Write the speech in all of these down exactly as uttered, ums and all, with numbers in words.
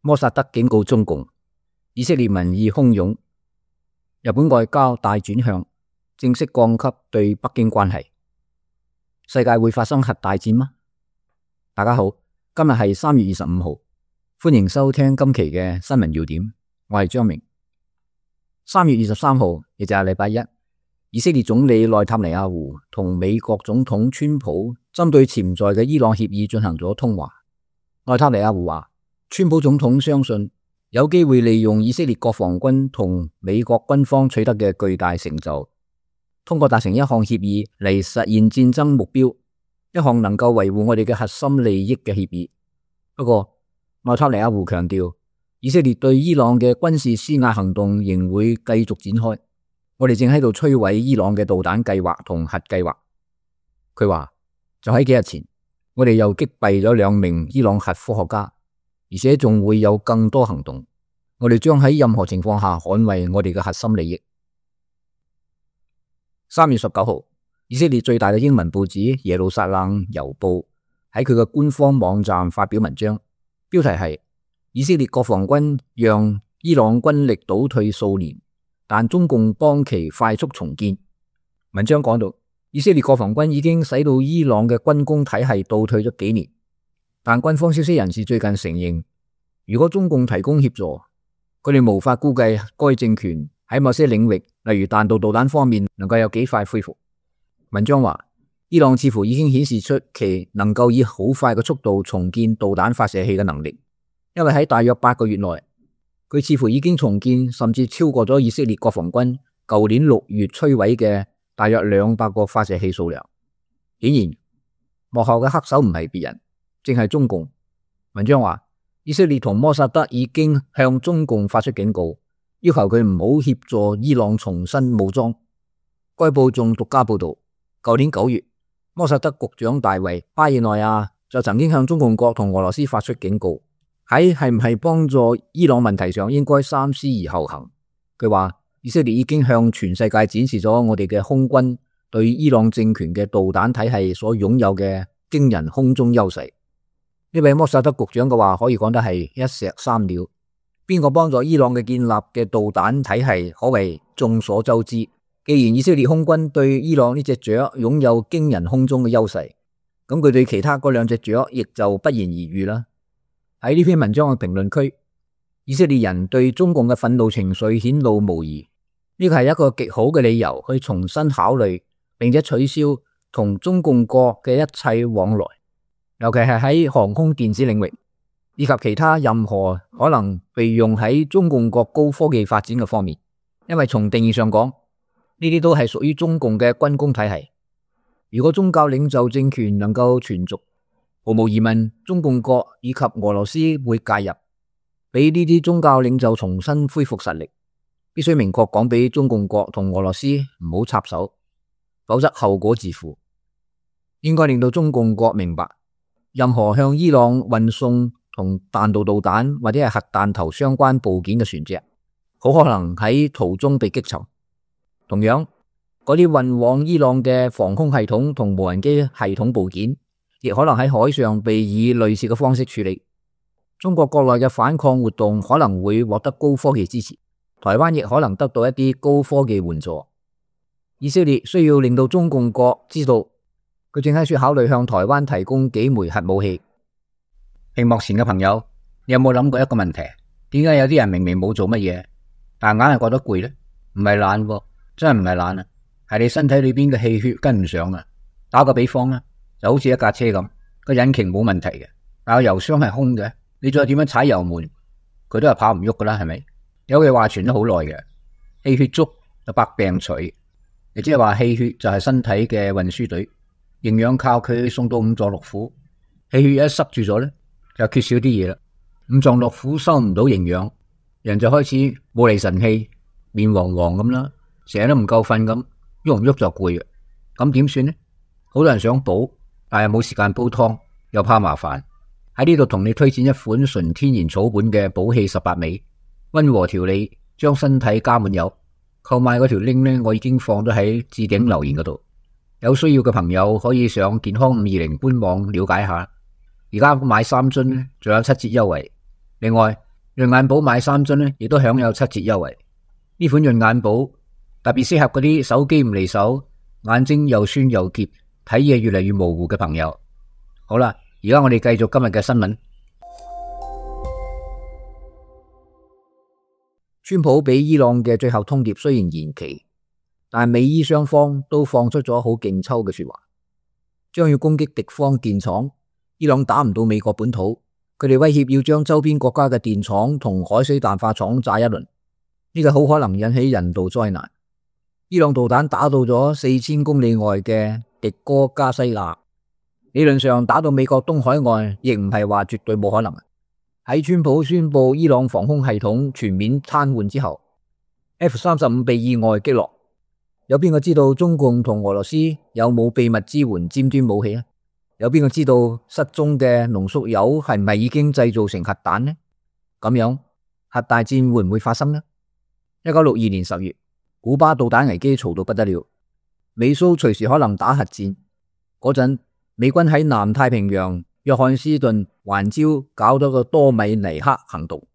摩薩德警告中共，以色列民意洶湧，日本外交大轉向，正式降級對北京關係。世界會發生核大戰嗎？大家好，今日係三月二十五號，歡迎收聽今期嘅新聞要點，我係張明。三月二十三號，亦就係禮拜一，以色列總理內塔尼亞胡同美國總統川普針對潛在嘅伊朗協議進行咗通話。內塔尼亞胡話，川普總統相信有機會利用以色列國防軍同美國軍方取得嘅巨大成就，通過達成一項協議嚟實現戰爭目標，一項能夠維護我哋嘅核心利益嘅協議。不過，內塔尼亞胡強調，以色列對伊朗嘅軍事施壓行動仍會繼續展開，我哋正喺度摧毀伊朗嘅導彈計劃同核計劃。佢話，就喺幾日前，我哋又擊斃咗兩名伊朗核科學家，而且仲會有更多行動。我哋將喺任何情況下捍衛我哋嘅核心利益。三月十九號，以色列最大嘅英文報紙耶路撒冷郵報喺佢嘅官方網站發表文章，標題係以色列國防軍讓伊朗軍力倒退數年，但中共幫其快速重建。文章講到，以色列國防軍已經使到伊朗嘅軍工體系倒退咗幾年，但軍方消息人士最近承認，如果中共提供協助，佢哋無法估計該政權喺某些領域，例如彈道導彈方面，能夠有幾快恢復。文章話，伊朗似乎已經顯示出其能夠以好快嘅速度重建導彈發射器嘅能力，因為喺大約八個月內，佢似乎已經重建甚至超過咗以色列國防軍舊年六月摧毀嘅大約兩百個發射器數量。顯然，幕後嘅黑手唔係別人，正係中共。文章話，以色列同摩薩德已經向中共發出警告，要求佢唔好協助伊朗重新武裝。該報仲獨家報道，舊年九月，摩薩德局長大衛巴爾內亞就曾經向中共國同俄羅斯發出警告，喺係唔係幫助伊朗問題上應該三思而後行。佢話，以色列已經向全世界展示咗我哋嘅空軍對伊朗政權嘅導彈體系所擁有嘅驚人空中優勢。呢位摩薩德局長嘅話可以講得係一石三鳥。邊個幫助伊朗嘅建立嘅導彈體系可謂眾所周知。既然以色列空軍對伊朗呢隻雀擁有驚人空中嘅優勢，咁佢對其他嗰兩隻雀亦就不言而喻啦。喺呢篇文章嘅評論區，以色列人對中共嘅憤怒情緒顯露無遺。呢個係一個極好嘅理由去重新考慮並且取消同中共國嘅一切往來，尤其係喺航空電子領域以及其他任何可能被用喺中共國高科技發展嘅方面。因為從定義上講，呢啲都係屬於中共嘅軍工體系。如果宗教領袖政權能夠存續，毫無疑問，中共國以及俄羅斯會介入，俾呢啲宗教領袖重新恢復實力。必須明確講俾中共國同俄羅斯唔好插手，否則後果自負。應該令到中共國明白，任何向伊朗運送同彈道導彈或者係核彈頭相關部件嘅船隻，好可能喺途中被擊沉。同樣，嗰啲運往伊朗嘅防空系統同無人機系統部件，亦可能喺海上被以類似嘅方式處理。中國國內嘅反抗活動可能會獲得高科技支持。台灣亦可能得到一啲高科技援助。以色列需要令到中共國知道，佢正喺處考慮向台灣提供幾枚核武器。屏幕前嘅朋友，你有冇諗過一個問題？點解有啲人明明冇做乜嘢，但硬係覺得攰呢？唔係懶喎，真係唔係懶啊，係你身體裏邊嘅氣血跟唔上啊。打個比方啊，就好似一架車咁，個引擎冇問題嘅，但係油箱係空嘅，你再點樣踩油門，佢都係跑唔喐噶啦，係咪？有句話傳咗好耐嘅，氣血足就百病除，亦即係話氣血就係身體嘅運輸隊，營養靠佢送到五臟六腑。氣血一塞住咗咧，就缺少啲嘢啦。五臟六腑收唔到營養，人就開始冇厘神氣，面黃黃咁啦，成日都唔夠瞓咁，喐唔喐就攰嘅。咁點算呢？好多人想補，但係冇時間煲湯，又怕麻煩。喺呢度同你推薦一款純天然草本嘅補氣十八味。溫和調理，將身體加滿油。購買嗰條 link 呢，我已經放咗喺置頂留言嗰度。有需要嘅朋友可以上健康五二零官網了解下。而家買三樽呢，仲有七折優惠。另外，潤眼寶買三樽呢，亦都享有七折優惠。呢款潤眼寶特別適合嗰啲手機唔離手、眼睛又酸又澀、睇嘢越嚟越模糊嘅朋友。好啦，而家我哋繼續今日嘅新聞。川普俾伊朗嘅最後通牒雖然延期，但美伊雙方都放出咗好勁抽嘅說話，將要攻擊敵方電廠。伊朗打唔到美國本土，佢哋威脅要將周邊國家嘅電廠同海水淡化廠炸一輪，呢個好可能引起人道災難。伊朗導彈打到咗四千公里外嘅迪哥加西亞，理論上打到美國東海岸亦唔係話絕對冇可能。喺川普宣布伊朗防空系統全面癱瘓之後， F 三十五被意外擊落。有邊個知道中共同俄羅斯有冇秘密支援尖端武器呢？有邊個知道失蹤嘅濃縮鈾係唔係已經製造成核彈呢？咁樣核大戰會唔會發生呢？一九六二年十月，古巴導彈危機嘈到不得了，美蘇隨時可能打核戰。嗰陣美軍喺南太平洋約翰斯頓環礁搞咗個多米尼克行動，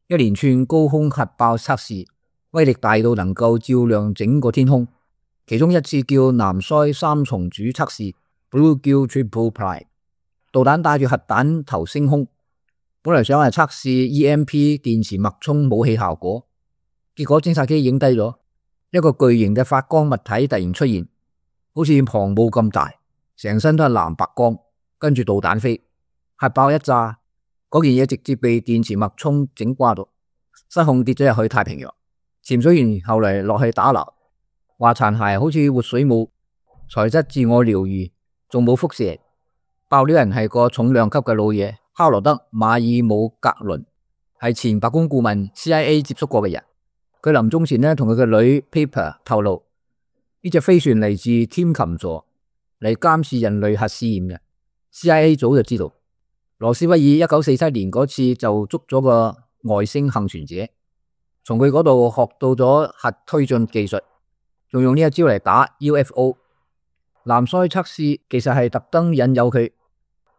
一連串高空核爆測試，威力大到能夠照亮整個天空。其中一次叫南腮三重主測試 Bluegill Triple Prime， 導彈帶住核彈頭升空，本來想係測試 E M P 電磁脈衝武器效果，結果偵察機影低咗一個巨型嘅發光物體突然出現，好似航母咁大，成身都係藍白光，跟住導彈飛，核爆一炸，嗰件嘢直接被電磁脈衝整瓜咗，失控跌咗入去太平洋。潛水員後嚟落去打撈，話殘骸好似活水母，材質自我療癒，仲冇輻射。爆料人係個重量級嘅老嘢，哈羅德馬爾姆格倫，係前白宮顧問 C I A 接觸過嘅人。佢臨終前呢，同佢嘅女 Paper 透露，呢隻飛船嚟自天琴座，嚟監視人類核試驗嘅。C I A 早就知道，羅斯威爾一九四七年嗰次就捉咗個外星幸存者，從佢嗰度學到咗核推進技術，仲用呢一招嚟打 U F O。南腮測試其實係特登引誘佢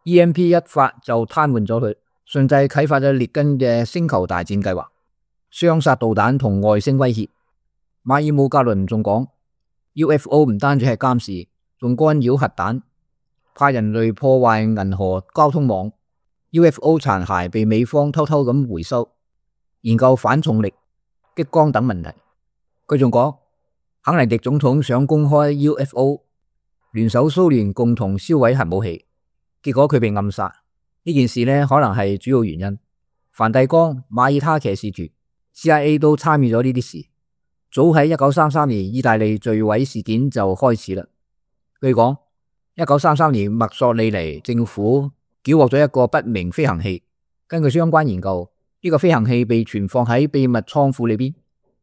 E M P 一發就癱瘓咗佢，順勢啟發咗列根嘅星球大戰計劃，雙殺導彈同外星威脅。馬爾姆格倫仲講 U F O 唔單止係監視，仲干擾核彈，怕人類破壞銀河交通網。 U F O 殘骸被美方偷偷咁回收，研究反重力、激光等問題。佢仲講肯尼迪總統想公開 U F O， 聯手蘇聯共同銷毀核武器，結果佢被暗殺。呢件事呢，可能係主要原因。梵蒂岡、馬耳他騎士團、C I A 都參與咗呢啲事。早喺一九三三年意大利墜毀事件就開始啦。據講一九三三年墨索里尼政府繳獲咗一個不明飛行器，根據相關研究，呢個飛行器被存放喺秘密倉庫裏邊，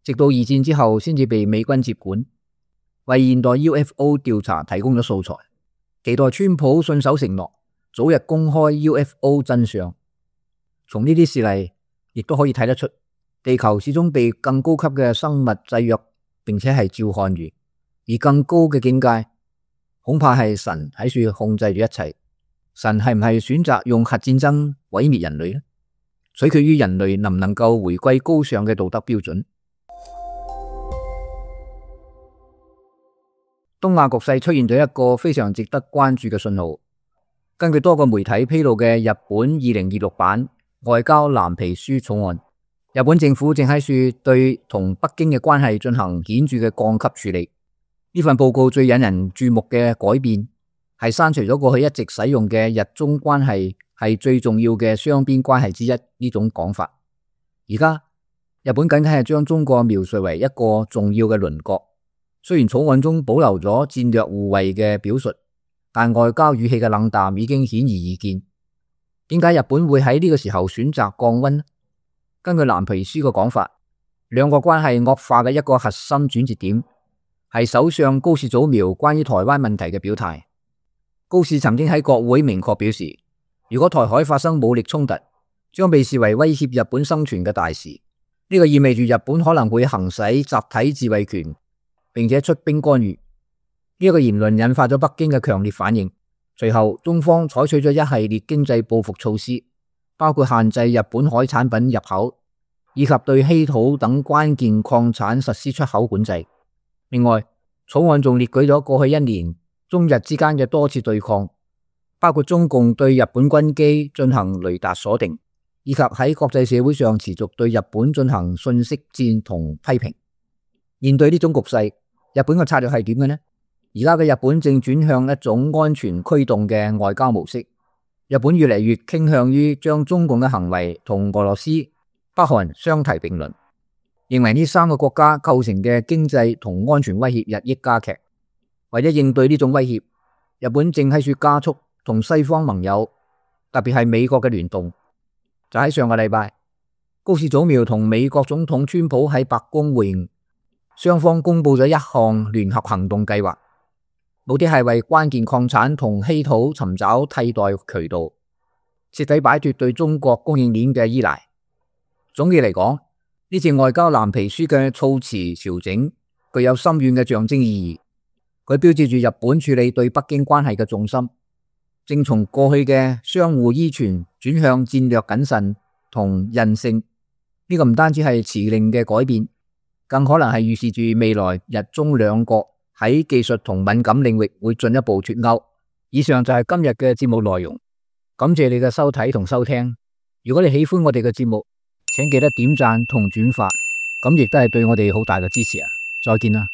直到二戰之後先至被美軍接管，為現代 U F O 調查提供咗素材。期待川普信守承諾，早日公開 U F O 真相。從呢啲事例亦都可以睇得出，地球始終被更高級嘅生物制約，並且係照看住。而更高嘅境界，恐怕係神喺處控制住一切。神係唔係選擇用核戰爭毀滅人類呢？取決於人類能唔能夠回歸高尚嘅道德標準。東亞局勢出現咗一個非常值得關注嘅信號。根據多個媒體披露嘅日本二零二六版外交藍皮書草案，日本政府正喺處對同北京嘅關係進行顯著嘅降級處理。呢份報告最引人注目嘅改變係刪除咗過去一直使用嘅日中關係係最重要嘅雙邊關係之一呢種講法。而家日本僅僅係將中國描述為一個重要嘅鄰國，雖然草案中保留咗戰略互惠嘅表述，但外交語氣嘅冷淡已經顯而易見。點解日本會喺呢個時候選擇降溫呢？根據藍皮書嘅講法，兩國關係惡化嘅一個核心轉折點係首相高市早苗關於台灣問題嘅表態。高市曾經喺國會明確表示，如果台海發生武力衝突，將被視為威脅日本生存嘅大事。呢個意味住日本可能會行使集體自衛權，並且出兵干預。呢一個言論引發咗北京嘅強烈反應。隨後，中方採取咗一系列經濟報復措施，包括限制日本海產品入口，以及對稀土等關鍵礦產實施出口管制。另外，草案仲列舉咗過去一年中日之間嘅多次對抗，包括中共對日本軍機進行雷達鎖定，以及喺國際社會上持續對日本進行信息戰同批評。面對呢種局勢，日本嘅策略係點嘅呢？而家嘅日本正轉向一種安全驅動嘅外交模式。日本越嚟越傾向於將中共嘅行為同俄羅斯、北韓相提並論，認為呢三個國家構成嘅經濟同安全威脅日益加劇。為咗應對呢種威脅，日本正喺處加速同西方盟友，特別係美國嘅聯動。就喺上個禮拜，高市早苗同美國總統川普喺白宮會晤，雙方公布咗一項聯合行動計劃，目的係為關鍵礦產同稀土尋找替代渠道，徹底擺脫對中國供應鏈嘅依賴。總結嚟講，呢次外交藍皮書嘅措辭調整具有深遠嘅象徵意義，佢標誌住日本處理對北京關係嘅重心，正從過去嘅相互依存轉向戰略謹慎同韌性。呢個唔單止係辭令嘅改變，更可能係預示住未來日中兩國喺技術同敏感領域會進一步脫鈎。以上就係今日嘅節目內容，感謝你嘅收睇同收聽。如果你喜歡我哋嘅節目，請記得點讚同轉發，咁亦都係對我哋好大嘅支持啊！再見啦。